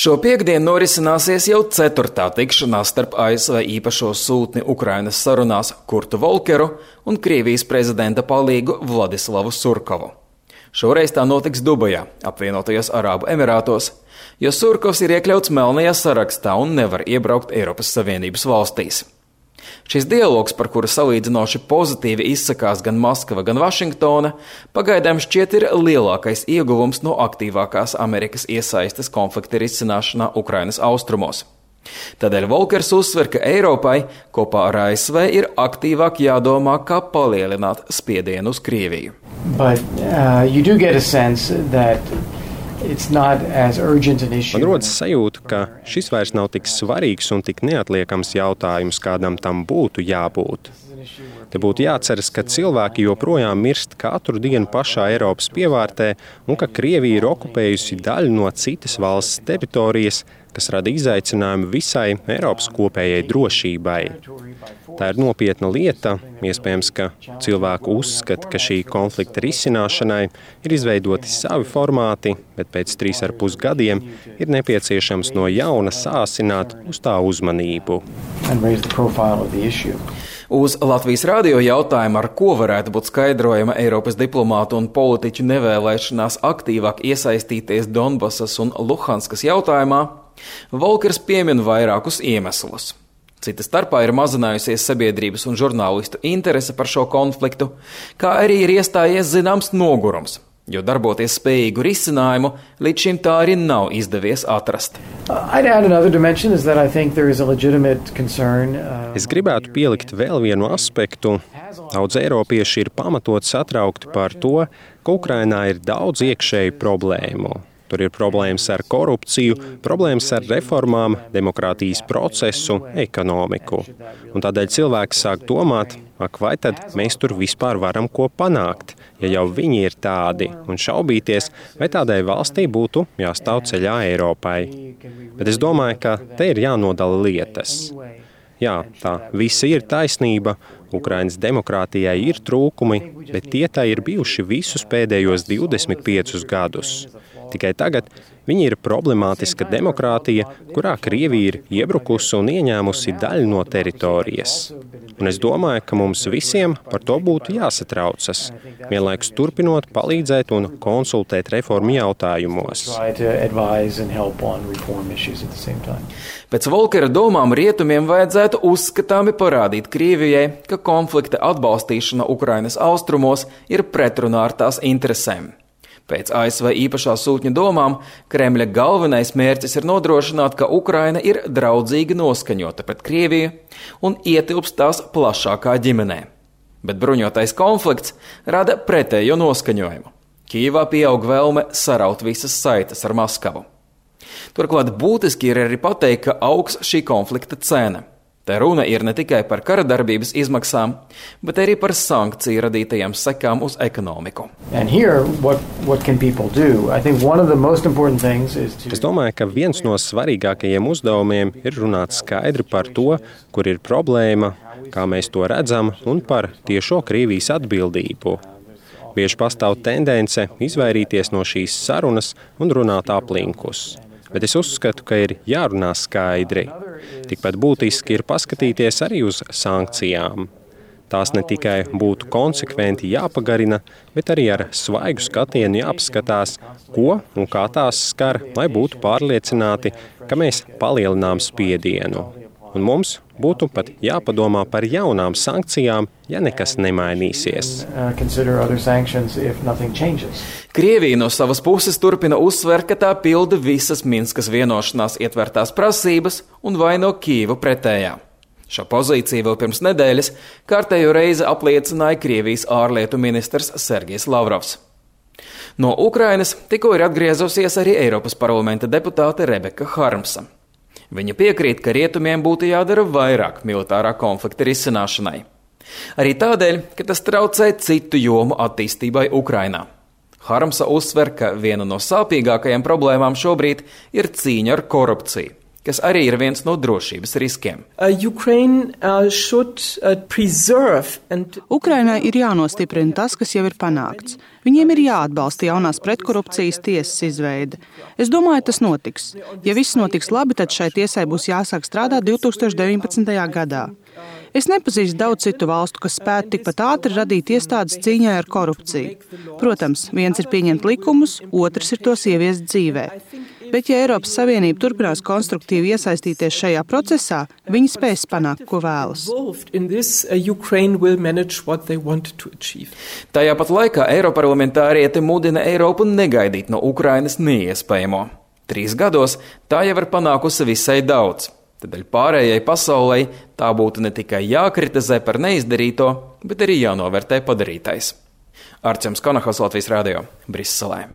Šo piektdienu norisināsies jau 4. tikšanās starp ASV īpašo sūtni Ukrainas sarunās Kurtu Volkeru un Krievijas prezidenta palīgu Vladislavu Surkovu. Šoreiz tā notiks Dubajā, apvienotajos Arābu Emirātos, jo Surkovs ir iekļauts melnajā sarakstā un nevar iebraukt Eiropas Savienības valstīs. Šis dialogs, par kuru salīdzinoši pozitīvi izsakās gan Maskava, gan Vašingtona, pagaidām šķiet ir lielākais ieguvums no aktīvākās Amerikas iesaistes konflikta risināšanā Ukrainas austrumos. Tādēļ Volkers uzsver, ka Eiropai kopā ar ASV ir aktīvāk jādomā, kā palielināt spiedienu uz Krieviju. Man rodas sajūta, ka šis vairs nav tik svarīgs un tik neatliekams jautājums, kādam tam būtu jābūt. Te būtu jāceras, ka cilvēki joprojām mirst katru dienu pašā Eiropas pievārtē un ka Krievija ir okupējusi daļu no citas valsts teritorijas, kas rada izaicinājumu visai Eiropas kopējai drošībai. Tā ir nopietna lieta, iespējams, ka cilvēku uzskata, ka šī konflikta risināšanai ir izveidoti savi formāti, bet pēc 3,5 gadiem ir nepieciešams no jauna sāsināt uz tā uzmanību. Uz Latvijas radio jautājumu, ar ko varētu būt skaidrojama Eiropas diplomātu un politiķu nevēlēšanās aktīvāk iesaistīties Donbasas un Luhanskas jautājumā, Volkers piemin vairākus iemeslus. Cita starpā ir mazinājusies sabiedrības un žurnālistu interese par šo konfliktu, kā arī ir iestājies zināms nogurums, jo darboties spējīgu risinājumu līdz šim tā arī nav izdevies atrast. Es gribētu pielikt vēl vienu aspektu. Daudz eiropieši ir pamatot satraukti par to, ka Ukrainā ir daudz iekšēju problēmu. Tur ir problēmas ar korupciju, problēmas ar reformām, demokrātijas procesu, ekonomiku. Un tādēļ cilvēki sāk domāt, vai tad mēs tur vispār varam ko panākt, ja jau viņi ir tādi, un šaubīties, vai tādai valstī būtu jāstāv ceļā Eiropai. Bet es domāju, ka te ir jānodala lietas. Jā, tā visa ir taisnība, Ukrainas demokrātijai ir trūkumi, bet tie tā ir bijuši visus pēdējos 25 gadus. Tikai tagad viņi ir problemātiska demokrātija, kurā Krievija ir iebrukusi un ieņēmusi daļu no teritorijas. Un es domāju, ka mums visiem par to būtu jāsatraucas, vienlaikus turpinot palīdzēt un konsultēt reformu jautājumos. Pēc Volkera domām rietumiem vajadzētu uzskatāmi parādīt Krievijai, ka konflikta atbalstīšana Ukrainas austrumos ir pretrunā ar tās interesēm. Pēc ASV īpašā sūtņa domām, Kremļa galvenais mērķis ir nodrošināt, ka Ukraina ir draudzīgi noskaņota pret Krieviju un ietilpst tās plašākā ģimenē. Bet bruņotais konflikts rada pretējo noskaņojumu. Kijevā pieaug vēlme saraut visas saites ar Maskavu. Turklāt būtiski ir arī pateikt, ka augs šī konflikta cena. Te runa ir ne tikai par kara darbības izmaksām, bet arī par sankciju radītajām sekām uz ekonomiku. Es domāju, ka viens no svarīgākajiem uzdevumiem ir runāt skaidri par to, kur ir problēma, kā mēs to redzam, un par tiešo Krievijas atbildību. Bieži pastāv tendence izvairīties no šīs sarunas un runāt aplinkus. Bet es uzskatu, ka ir jārunā skaidri. Tikpat būtiski ir paskatīties arī uz sankcijām. Tās ne tikai būtu konsekventi jāpagarina, bet arī ar svaigu skatienu jāapskatās, ko un kā tās skar, lai būtu pārliecināti, ka mēs palielinām spiedienu. Un mums būtu pat jāpadomā par jaunām sankcijām, ja nekas nemainīsies. Krievija no savas puses turpina uzsvērt, ka tā pilda visas Minskas vienošanās ietvertās prasības un vaino Kijevu pretējā. Šo pozīciju vēl pirms nedēļas kārtējo reizi apliecināja Krievijas ārlietu ministrs Sergejs Lavrovs. No Ukrainas tikko ir atgriezusies arī Eiropas parlamenta deputāte Rebeka Harmsa. Viņa piekrīt, ka rietumiem būtu jādara vairāk militārā konflikta risināšanai. Arī tādēļ, ka tas traucē citu jomu attīstībai Ukrainā. Harmsa uzsver, ka viena no sāpīgākajām problēmām šobrīd ir cīņa ar korupciju, kas arī ir viens no drošības riskiem. Ukrainai ir jānostiprina tas, kas jau ir panākts. Viņiem ir jāatbalsta jaunās pretkorupcijas tiesas izveide. Es domāju, tas notiks. Ja viss notiks labi, tad šai tiesai būs jāsāk strādāt 2019. gadā. Es nepazīstu daudz citu valstu, kas spētu tikpat ātri radīt iestādes cīņai ar korupciju. Protams, viens ir pieņemt likumus, otrs ir tos ieviest dzīvē. Bet, ja Eiropas Savienība turpinās konstruktīvi iesaistīties šajā procesā, viņi spēs panākt, ko vēlas. Tajā pat laikā eiroparlamentārieti mudina Eiropu negaidīt no Ukrainas neiespējamo. 3 gados tā jau ir panākusi visai daudz. Tādēļ pārējai pasaulē tā būtu ne tikai jākritizē par neizdarīto, bet arī jānovērtē padarītais. Arčuns Konahos, Latvijas radio, Briselē.